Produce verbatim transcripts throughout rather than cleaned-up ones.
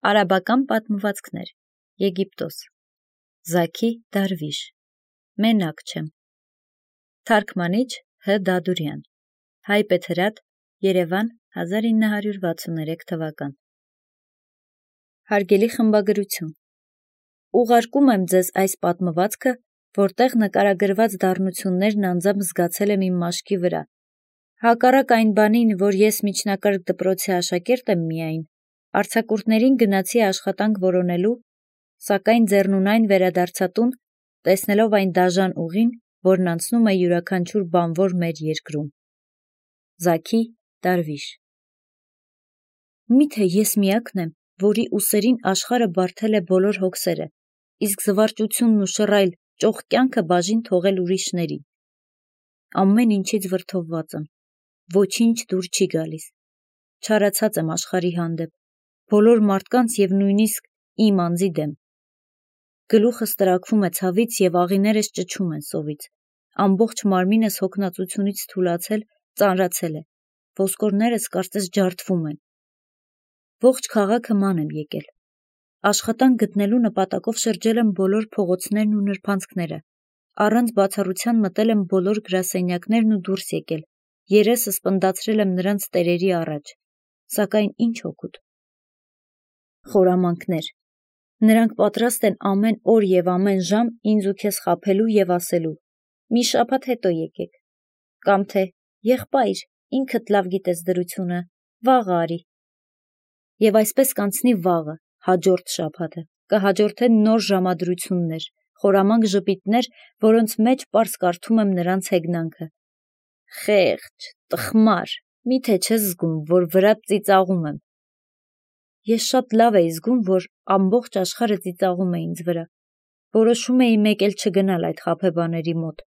Արաբական պատմվածքներ, Եգիպտոս, Զաքի Դարվիշ, Մենակ չեմ, Թարգմանիչ Հ. Դադուրյան, Հայպեթրատ, Երևան, հազար ինը հարյուր վաթսուններեք թվական։ Հարգելի խմբագրություն, ուղարկում եմ ձեզ այս պատմվածքը, որտեղ նկարագրված դառնություններն անձամբ զգացել եմ իմ մաշկի վրա։ Հակառակ այն բանին, որ ես միջնակարգ դպրոցի աշակերտ եմ միայն, արձակուրդներին գնացի աշխատանք որոնելու, սակայն ձեռնունայն վերադարձա տուն, տեսնելով այն դաժան ուղին, որն անցնում է յուրաքանչյուր բանվոր մեր երկրում։ Զաքի Դարվիշ։ Միթե ես միակն եմ, որի ուսերին աշխարհը բարդել է բոլոր հոգսերը, իսկ զվարճությունն ու շռայլ ճոխ կյանքը բաժին թողել ուրիշների։ Ամեն ինչից վրդովված եմ, ոչինչ դուր չի գալիս, չարացած եմ աշխարհի հանդեպ, բոլոր մարդկանց և նույնիսկ իմ անձի դեմ։ Գլուխս տրաքվում է ցավից և աղիներս ճչում են սովից, ամբողջ մարմինս հոգնածությունից թուլացել, ծանրացել է, ոսկորներս կարծես ջարդվում են։ Ողջ քաղաքը ման եմ եկել, աշխատանք գտնելու նպատակով շրջել եմ բոլոր փողոցներն ու նրբանցքները, առանց բացառության մտել եմ բոլոր գրասենյակներն ու դուրս եկել, երեսս պնդացրել եմ նրանց տերերի առաջ, սակայն ինչ օգուտ։ Խորամանկներ, նրանք պատրաստ են ամեն օր և ամեն ժամ ինձ ու քեզ խաբելու և ասելու. մի շաբաթ հետո եկեք, կամ թե եղբայր, ինքդ լավ գիտես դրությունը, վաղը արի։ Եվ այսպես կանցնի վաղը, հաջորդ շաբաթը, կհաջորդեն նոր ժամադրություններ, խորամանկ ժպիտներ, որոնց մեջ պարզ կարդում եմ նրանց հեգնանքը։ Խեղճ, տխմար, միթե չես զգում, որ վրադ ծիծաղում եմ։ Ես շատ լավ էի զգում, որ ամբողջ աշխարհը ծիծաղում է ինձ վրա։ Որոշում էի մեկ էլ չգնալ այդ խաբեբաների մոտ,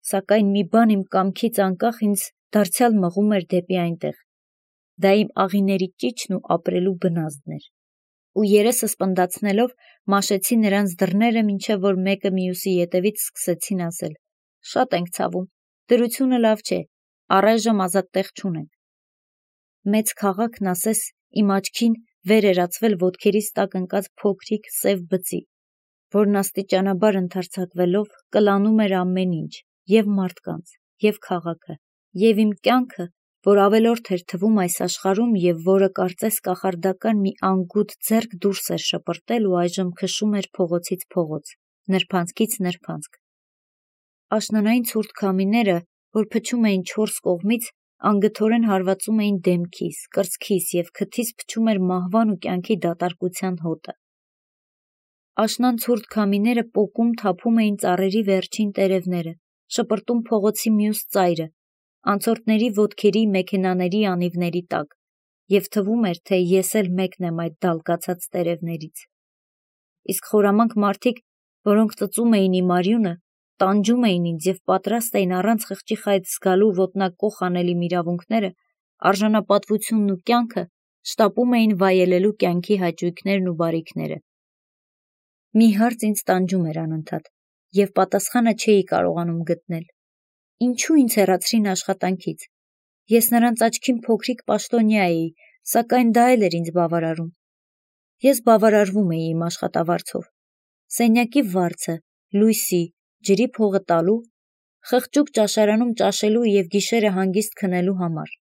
սակայն մի բան իմ կամքից անկախ ինձ դարձյալ մղում էր դեպի այնտեղ։ Դա իմ աղիների ճիչն ու ապրելու բնազդն էր։ Ու երեսս պնդացնելով մաշեցի նրանց դռները, մինչև որ մեկը մյուսի ետևից սկսեցին ասել. շատ ենք ցավում, դրությունը լավ չէ, առայժմ ազատ տեղ չունենք։ Մեծ քաղաքն ասես իմ աչքին վեր էր ածվել ոտքերիս տակ ընկած փոքրիկ սև բծի, որն աստիճանաբար ընդարձակվելով կլանում էր ամեն ինչ, և մարդկանց, և քաղաքը, և իմ կյանքը, որ ավելորդ էր թվում այս աշխարհում և որը կարծես կախարդական մի անգութ ձեռք դուրս էր շպրտել ու այժմ քշում էր փողոցից փողոց, նրբանցքից նրբանցք։ Աշնանային ցուրտ քամիները, որ փչում էին չորս կողմից, անգթորեն հարվածում էին դեմքիս, կրծքիս և քթիս փչում էր մահվան ու կյանքի դատարկության հոտը։ Աշնան ցուրտ քամիները պոկում թափում էին ծառերի վերջին տերևները, շպրտում փողոցի մյուս ծայրը, անցորդների ոտքերի, մեքենաների անիվների տակ, և թվում էր, թե ես էլ մեկն եմ այդ դալկացած տերևներից։ Իսկ խորամանկ մարդիկ, որոնք ծծում էին իմ արյունը, տանջում էին ինձ և պատրաստ էին առանց խղճի խայծ զգալու ոտնակոխ անել իմ իրավունքները, արժանապատվությունն ու կյանքը, շտապում էին վայելելու կյանքի հաճույքներն ու բարիքները։ Մի հարց ինձ տանջում էր անընդհատ, և պատասխանը չէի կարողանում գտնել։ Ինչու ինձ հեռացրին աշխատանքից։ Ես նրանց աչքին փոքրիկ պաշտոնյա էի, սակայն դա էլ էր ինձ բավարարում։ Ես բավարարվում էի իմ աշխատավարձով։ Սենյակի վարձը, լույսի, ջրի փողը տալու, խղճուկ ճաշարանում ճաշելու և գիշերը հանգիստ քնելու համար։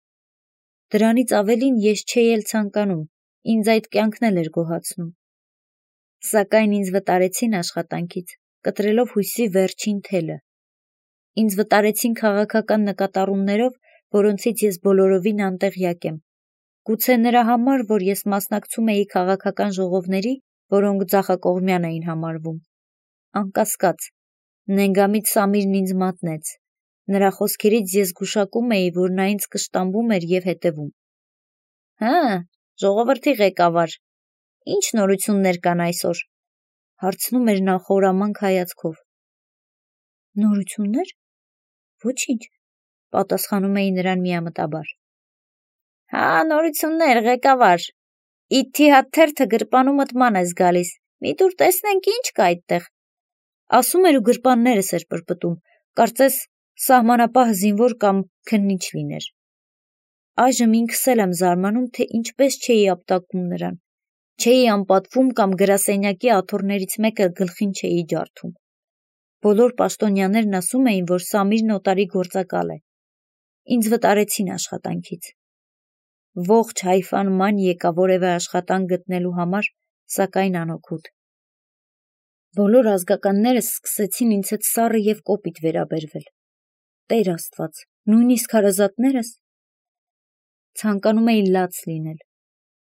Դրանից ավելին ես չէի էլ ցանկանում, ինձ այդ կյանքն էլ էր գոհացնում։ Սակայն ինձ վտարեցին աշխատանքից, կտրելով հույսի վերջին թելը։ Ինձ վտարեցին քաղաքական նկատառումներով, որոնցից ես բոլորովին անտեղյակ եմ։ Գուցե նրա համար, որ ես մասնակցում էի քաղաքական ժողովների, որոնք ձախակողմյան էին համարվում։ Անկասկած, նենգամիտ Սամիրն ինձ մատնեց։ Նրա խոսքերից ես գուշակում էի, որ նա ինձ կշտամբում էր և հետևում։ Հը, ժողովրդի ղեկավար, ի՞նչ նորություններ կան այսօր, հարցնում էր նա խորամանկ հայացքով։ Նորություններ։ Ոչինչ, պատասխանում էի նրան միամտաբար։ Հա, նորություններ, ղեկավար, իթի հատ թերթը գրպանումդ ման ես գալիս, մի տուր տեսնենք ինչ կա այդտեղ, ասում էր ու գրպաններս էր պրպտում, կարծես սահմանապահ զինվոր կամ քննիչ լիներ։ Այժմ ինքս էլ եմ զարմանում, թե ինչպես չէի ապտակում նրան, Չէի անպատվում կամ գրասենյակի աթոռներից մեկը գլխին չէի ջարդում։ Բոլոր պաշտոնյաներն ասում էին, որ Սամիրն օտարի գործակալ է։ Ինձ վտարեցին աշխատանքից։ Ողջ Հայֆան ման եկա որևէ աշխատանք գտնելու համար, սակայն անօգուտ։ Բոլոր ազգականներս սկսեցին ինձ հետ սառը և կոպիտ վերաբերվել։ Տեր Աստված, նույնիսկ հարազատներս։ Ցանկանում էի լաց լինել։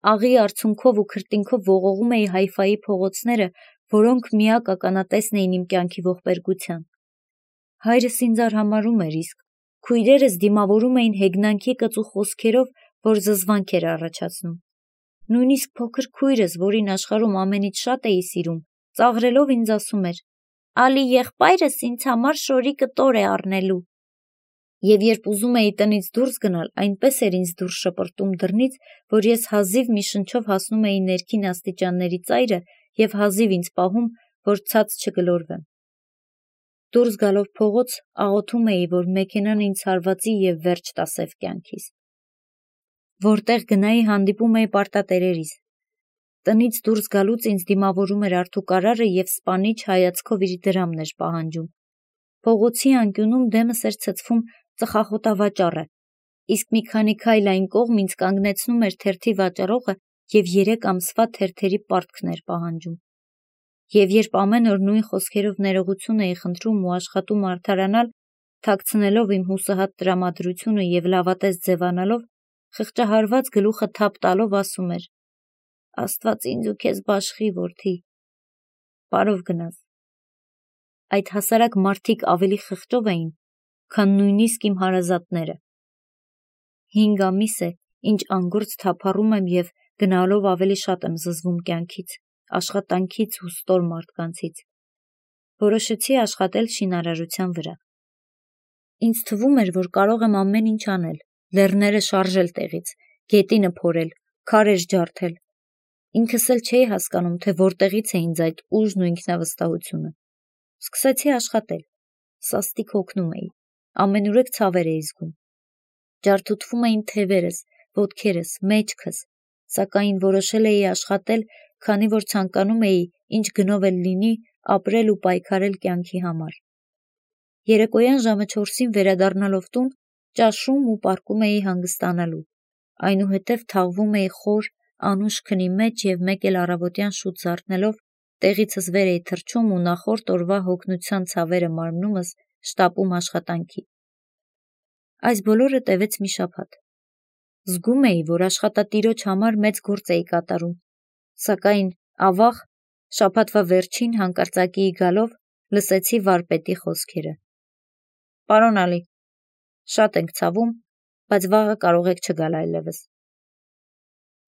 Աղի արցունքով ու քրտինքով ողողում էի Հայֆայի փողոցները, որոնք միակ ականատեսն էին իմ կյանքի ողբերգության։ Հայրս ինձ արհամարհում էր, իսկ քույրերս դիմավորում էին հեգնանքի կծու խոսքերով, որ զզվանք էր առաջացնում։ Նույնիսկ փոքր քույրս, որին աշխարհում ամենից շատ էի սիրում, ծաղրելով ինձ ասում էր. «Ալի եղբայրս ինձ համար շորի կտոր է առնելու»։ Եվ երբ ուզում էի տնից դուրս գնալ, այնպես էր ինձ դուրս շպրտում դռնից, որ ես հազիվ մի շնչով հասնում էի ներքին աստիճանների ծայրը և հազիվ ինձ պահում, որ ցած չգլորվեմ։ Դուրս գալով փողոց, աղոթում էի, որ մեքենան ինձ հարվածի և վերջ տա սև կյանքիս։ Որտեղ գնայի, հանդիպում էի պարտատերերիս։ Տնից դուրս գալուց ինձ դիմավորում էր Արթուկարարը և սպանիչ հայացքով իր դրամն էր պահանջում։ Փողոցի անկյունում դեմս էր ցցվում ծխախոտավաճառը, իսկ մի քանի քայլ այն կողմ ինձ կանգնեցնում էր թերթի վաճառողը և երեք ամսվա թերթերի պարտքն էր պահանջում։ Եվ երբ ամեն օր նույն խոսքերով ներողություն էի խնդրում ու աշխատում արդարանալ, թաքցնելով իմ հուսահատ տրամադրությունը և լավատես ձևանալով, խղճահարված գլուխը թափ տալով ասում էր. «Աստված ինձ ու քեզ բաշխի, որդի, բարով գնաս»։ Այդ հասարակ մարդիկ ավելի խղճով էին, քան նույնիսկ իմ հարազատները։ Հինգ ամիս է, ինչ անգործ թափառում եմ և գնալով ավելի շատ եմ զզվում կյանքից, աշխատանքից ու ստոր մարդկանցից։ Որոշեցի աշխատել շինարարության վրա։ Ինձ թվում էր, որ կարող եմ ամեն ինչ անել, լեռները շարժել տեղից, գետինը փորել, քարեր ջարդել։ Ինքս էլ չէի հասկանում, թե որտեղից է ինձ այդ ուժն ու ինքնավստահությունը։ Սկսեցի աշխատել։ Սաստիկ հոգնում էի, ամենուրեք ցավեր էի զգում։ Ջարդուտվում էին թևերս, ոտքերս, մեջքս, սակայն որոշել էի աշխատել, քանի որ ցանկանում էի, ինչ գնով էլ լինի, ապրել ու պայքարել կյանքի համար։ Երեկոյան ժամը չորսին վերադառնալով տուն, ճաշում ու պառկում էի հանգստանալու, այնուհետև թաղվում էի խոր, անուշ քնի մեջ և մեկ էլ առավոտյան շուտ զարթնելով տեղիցս վեր էի թռչում ու նախորդ օրվա հոգնության ցավերը մարմնումս շտապում աշխատանքի։ Այս բոլորը տևեց մի շաբաթ։ Զգում էի, որ աշխատատիրոջ համար մեծ գործ էի կատարում, սակայն ավաղ, շաբաթվա վերջին հանկարծակիի գալով, լսեցի վարպետի խոսքերը. «Պարոն Ալի, շատ ենք ցավում, բայց վաղը կարող եք չգալ այլևս»։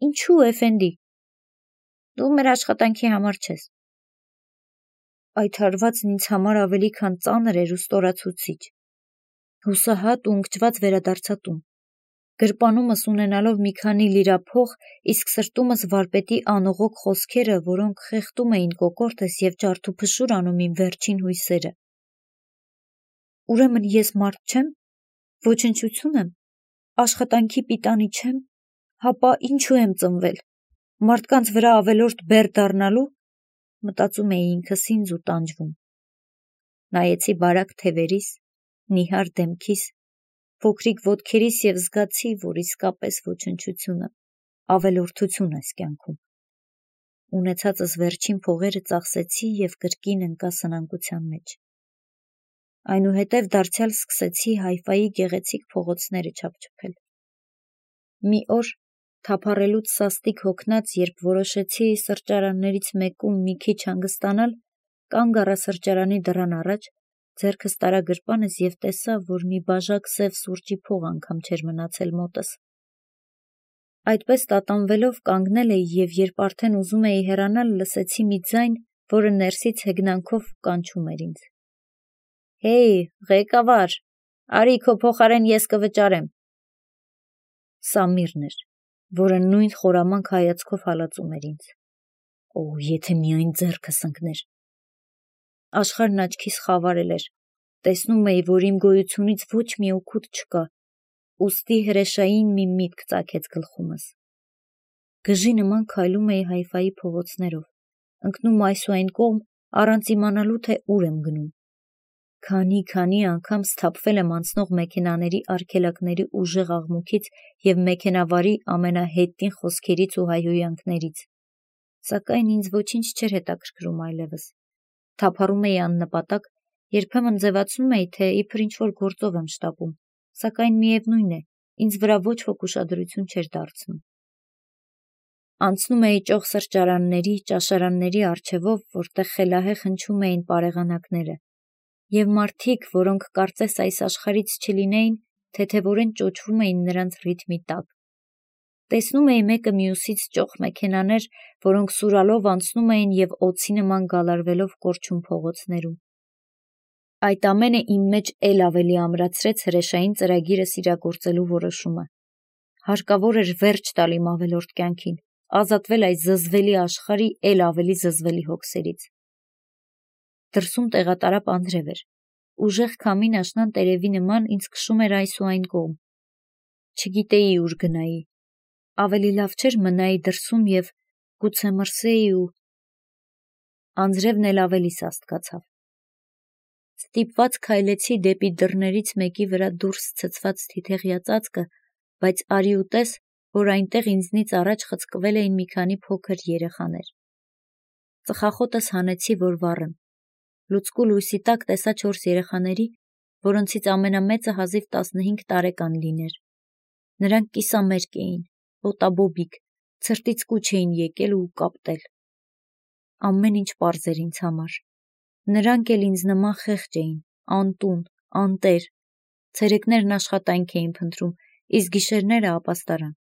«Ինչու, էֆենդի, դու մեր աշխատանքի համար չես»։ Այդ հարվածն ինձ համար ավելի քան ծանր էր ու ստորացուցիչ։ Հուսահատ ու ընկճված վերադարձա տուն, գրպանումս ունենալով մի քանի լիրա փող, իսկ սրտումս վարպետի անողոք խոսքերը, որոնք խեղդում էին կոկորդս և ջարդուփշուր անում իմ վերջին հույսերը։ Ուրեմն ես մարդ չեմ, ոչնչություն եմ, աշխատանքի պիտանի չեմ, հապա ինչու եմ ծնվել, մարդկանց վրա ավելորդ բեռ դառնալու, մտածում էի ինքս ինձ ու տանջվում։ Նայեցի բարակ թևերիս, նիհար դեմքիս, փոքրիկ ոտքերիս և զգացի, որ իսկապես ոչնչությունը, ավելորդություն է կյանքում։ Ունեցածս վերջին փողերը ծախսեցի և կրկին ընկա սնանկության մեջ։ Այնուհետև դարձյալ սկսեցի Հայֆայի գեղեցիկ փողոցները չափչփել։ Մի օր, թափառելուց սաստիկ հոգնած, երբ որոշեցի սրճարաններից մեկում մի քիչ հանգստանալ, կանգ առա սրճարանի դռան առաջ, ձեռքս տարա գրպանս և տեսա, որ մի բաժակ սև սուրճի փող անգամ չէր մնացել մոտս։ Այդպես տատանվելով կանգնել էի և երբ արդեն ուզում էի հեռանալ, լսեցի մի ձայն, որը ներսից հեգնանքով կանչում էր ինձ. «Հեյ, ղեկավար, արի քո փոխարեն ես կվճարեմ»։ Սամիրն էր, որը նույն խորամանկ հայացքով հալածում էր ինձ։ Օ, եթե միայն ձեռքս ընկներ։ Աշխարհն աչքիս խավարել էր, տեսնում էի, որ իմ գոյությունից ոչ մի օգուտ չկա, ուստի հրեշային մի միտք ծագեց գլխումս։ Գժի նման քայլում էի Հայֆայի փողոցներով, ընկնում այս ու այն կողմ, առանց իմանալու, թե ուր եմ գնում։ Քանի-քանի անգամ սթափվել եմ անցնող մեքենաների արգելակների ուժեղ աղմուկից և մեքենավարի ամենահետին խոսքերից ու հայհոյանքներից, սակայն ինձ ոչինչ չէր հետաքրքրում այլևս։ Թափառում էի աննպատակ, երբեմն ձևացնում էի, թե իբր ինչ-որ գործով եմ շտապում, սակայն միևնույն է, ինձ վրա ոչ ոք ուշադրություն չէր դարձնում։ Անցնում էի ճոխ սրճարանների, ճաշարանների առջևով, որտեղ խելահեղ հնչում էին պարեղանակները, և մարդիկ, որոնք կարծես այս աշխարհից չլինեին, թեթևորեն ճոճվում էին նրանց ռիթմի տակ։ Տեսնում էի մեկը մյուսից ճոխ մեքենաներ, որոնք սուրալով անցնում էին և օձի նման գալարվելով կորչում փողոցներում։ Այդ ամենը իմ մեջ էլ ավելի ամրացրեց հրեշային ծրագիրս իրագործելու որոշումը։ Հարկավոր էր վերջ տալ իմ ավելորդ կյանքին, ազատվել այս զզվելի աշխարհի էլ ավելի զզվելի հոգսերից։ Դրսում տեղատարապ անձրև էր։ Ուժեղ քամին աշնան տերևի նման ինձ քշում էր այս ու այն կողմ։ Չգիտեի ուր գնայի։ Ավելի լավ չէր մնայի դրսում և գուցե մրսեի ու… Անձրևն էլ ավելի սաստկացավ։ Ստիպված քայլեցի դեպի դռներից մեկի վրա դուրս ցցված թիթեղյա ծածկը, բայց արի ու տես, որ այնտեղ ինձնից առաջ խցկվել էին մի քանի փոքր երեխաներ։ Ծխախոտս հանեցի, որ վառեմ։ Լուցկու լույսի տակ տեսա չորս երեխաների, որոնցից ամենամեծը հազիվ տասնհինգ տարեկան լիներ։ Նրանք կիսամերկ էին, ոտաբոբիկ, ցրտից կուչ էին եկել ու կապտել։ Ամեն ինչ պարզ էր ինձ համար։ Նրանք էլ ինձ նման խեղճ էին, անտուն, անտեր։ Ցերեկներն աշխատանք էին փնտրում, իսկ գիշերները ապաստարան։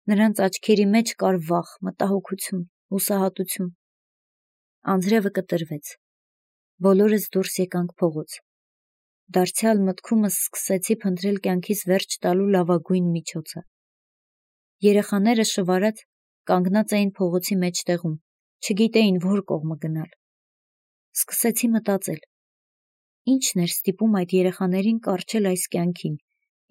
Նրանց աչքերի մեջ կար վախ, մտահոգություն, հուսահատություն։ Անձրևը կտրվեց։ Բոլորս դուրս եկանք փողոց։ Դարձյալ մտքումս սկսեցի փնտրել կյանքիս վերջ տալու լավագույն միջոցը։ Երեխաները շվարած կանգնած էին փողոցի մեջտեղում, չգիտեին որ կողմը գնալ։ Սկսեցի մտածել. ի՞նչն էր ստիպում այդ երեխաներին կառչել այս կյանքին,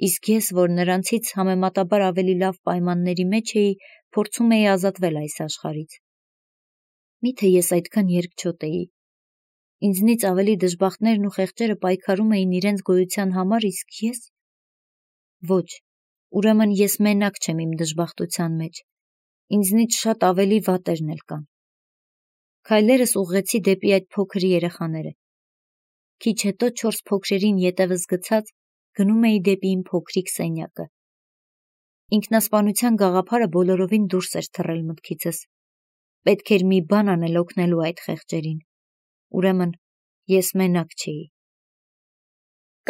իսկ ես, որ նրանցից համեմատաբար ավելի լավ պայմանների մեջ էի, փորձում էի ազատվել այս աշխարհից։ Միթե ես այդքան երկչոտ էի։ Ինձնից ավելի դժբախտներն ու խեղճերը պայքարում էին իրենց գոյության համար, իսկ ես… Ոչ, ուրեմն ես մենակ չեմ իմ դժբախտության մեջ։ Ինձնից շատ ավելի վատերն էլ կան։ Քայլերս ուղղեցի դեպի այդ փոքր երեխաները։ Քիչ հետո չորս փոքրերին ետևս գցած գնում էի դեպի իմ փոքրիկ սենյակը։ Ինքնասպանության գաղափարը բոլորովին դուրս էր թռել մտքիցս։ Պետք էր մի բան անել օգնելու այդ խեղճերին։ Ուրեմն ես մենակ չէի։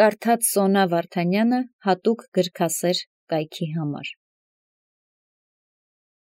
Կարդաց Սոնա Վարդանյանը հատուկ գրքասեր կայքի համար։